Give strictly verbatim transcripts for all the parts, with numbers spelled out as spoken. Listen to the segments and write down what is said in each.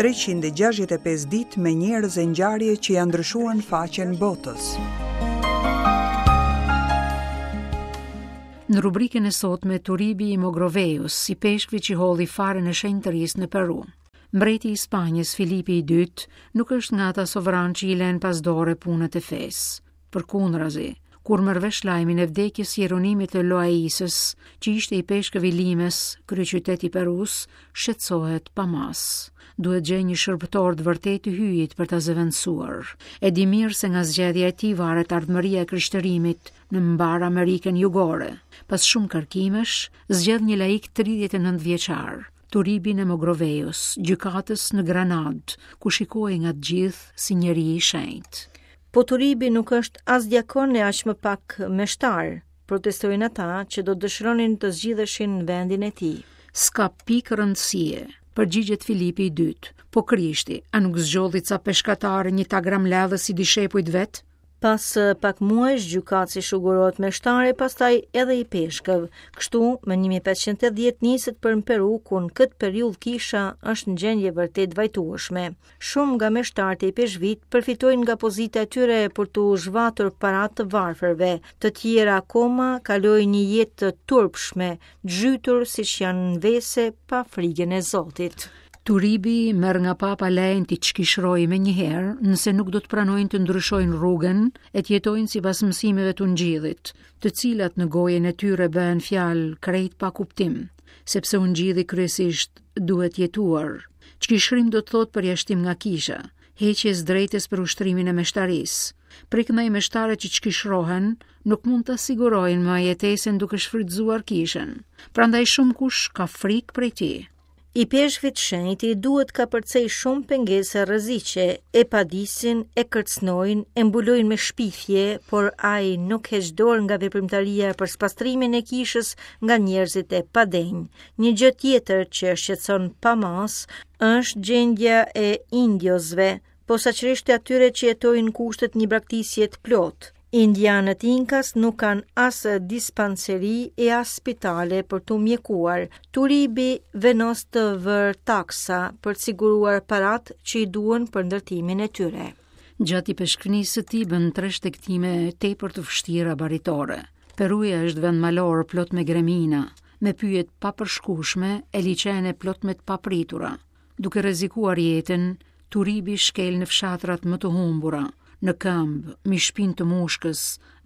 treqind e gjashtëdhjetë e pesë ditë me njerëz e ngjarje që janë ndryshuar në faqen botës. Në rubrikën e sotme Turibi i Mogroveus, si peshkvi që holli farën e shenjtërisë në Peru. Mbreti i Spanjës Filipi i dytë nuk është nga ata sovran që i lën pas dore punët e fesë. Përkundrazi, kur merr vesh lajmin e vdekjes së Jeronimit të Loaisës, që ishte i peshkëv i Limës, kryeqytet i Perus, shqetësohet pa mas. Duhet gjej një shërbëtor të vërtetë të hyjit për ta zëvendësuar. E di mirë se nga zgjedhja e tij varet ardhmëria e krishterimit në mbar Amerikën Jugore. Pas shumë kërkimesh, zgjedh një laik tridhjetë e nëntë vjeçar, Turibin e Mogroveus, gjykatës në Granadë, ku shikohej nga të gjithë si njeri i shenjtë. Po Turibi nuk është as diakon e aq më pak meshtar, protestojnë ata që do dëshironin të zgjidheshin në vendin e tij. S'ka pikë rëndësie, përgjigjet Filipi i dytë. Po Krishti, a nuk zgjodhi ca peshkatarë një tagram ledhës si dishepujt vet? Pas pak muajsh, gjykatësi shugurohet meshtare, pastaj edhe i peshkëv. Kështu, më një mijë e pesëqind e dhjetë niset për në Peru, ku në këtë periudhë kisha është në gjendje vërtet vajtueshme. Shumë nga meshtarët e peshkvit përfitojnë nga pozita e tyre për t'u zhvatur para të varfërve. Të tjera akoma kalojnë një jetë të turpshme, zhytur siç janë në vese pa frigën e Zotit. Turibi merr nga papa lejnë t'i çkishrojë me njëherë, nëse nuk do të pranojnë të ndryshojnë rrugën e të jetojnë sipas mësimeve të ungjillit, të cilat në gojën e tyre bëhen fjalë krejt pa kuptim, sepse ungjilli kryesisht duhet jetuar. Çkishrim do të thotë përjashtim nga kisha, heqje e drejtës për ushtrimin e meshtarisë. Prej këndaj meshtarët që çkishrohen nuk mund ta sigurojnë më jetesën duke shfrytzuar kishën. Prandaj shumë kush ka frikë prej tij. I peshkvit shenjti duhet ka përcej shumë pengesa rreziqe, e padisin, e kërcënojnë, e mbulojnë me shpifje, por ai nuk heq dorë nga veprimtaria për spastrimin e kishës nga njerëzit e padenjë. Një gjë tjetër që e shqetëson pa mas është gjendja e indiosve, posaçërisht e atyre që jetojnë në kushtet një braktisje të plotë. Indianët Inkas nuk kanë as dispanseri e as spitale për t'u mjekuar. Turibi vendos të vërë taksa për të siguruar parat që i duhen për ndërtimin e tyre. Gjatë i peshkënisë së tij bën tre shtegtime tepër të vështira baritore. Peruja është vend malor plot me gremina, me pyje të papërshkueshme e liqene plot me të papritura. Duke rrezikuar jetën, Turibi shkel në fshatrat më të humbura, në këmbë, mi shpinë të mushkës,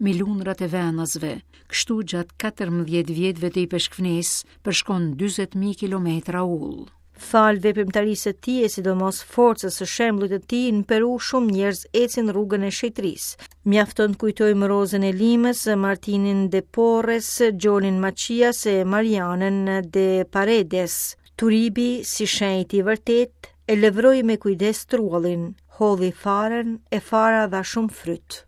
mi lundrat e venasve. Kështu gjatë katërmbëdhjetë vjetëve të ipeshkvnisë përshkon dyzet mijë kilometra ull. Fal veprimtarisë së tij e sidomos forcës së shembullit të tij në Peru, shumë njerëz ecin rrugën e shenjtërisë. Mjafton të kujtojmë Rozën e Limës, Martinin de Porres, Gjonin Macias e Marianën de Paredes. Turibi, si shenjti i vërtet, e lëvroi me kujdes truallin, hodhi farën e fara dha shumë fryt.